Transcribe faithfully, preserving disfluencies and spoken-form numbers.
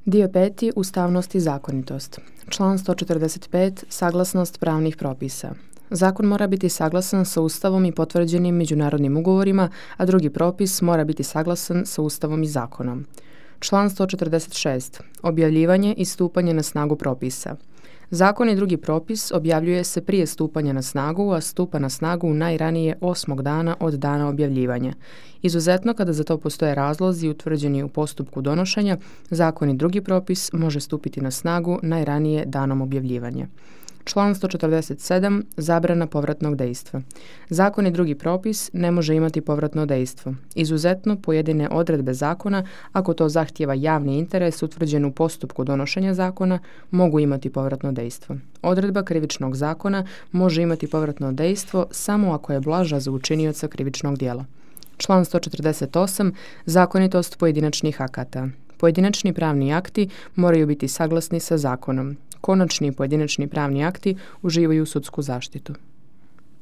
Dio peti. Ustavnost i zakonitost. Član sto četrdeset pet. Saglasnost pravnih propisa. Zakon mora biti saglasan sa Ustavom i potvrđenim međunarodnim ugovorima, a drugi propis mora biti saglasan sa Ustavom i zakonom. Član sto četrdeset šest. Objavljivanje i stupanje na snagu propisa. Zakon i drugi propis objavljuje se prije stupanja na snagu, a stupa na snagu najranije osmog dana od dana objavljivanja. Izuzetno, kada za to postoje razlozi utvrđeni u postupku donošenja, zakon i drugi propis može stupiti na snagu najranije danom objavljivanja. Član sto četrdeset sedam. Zabrana povratnog dejstva. Zakon i drugi propis ne može imati povratno dejstvo. Izuzetno, pojedine odredbe zakona, ako to zahtijeva javni interes utvrđen u postupku donošenja zakona, mogu imati povratno dejstvo. Odredba krivičnog zakona može imati povratno dejstvo samo ako je blaža za učinioca krivičnog djela. Član sto četrdeset osam. Zakonitost pojedinačnih akata. Pojedinačni pravni akti moraju biti saglasni sa zakonom. Konačni pojedinačni pravni akti uživaju sudsku zaštitu.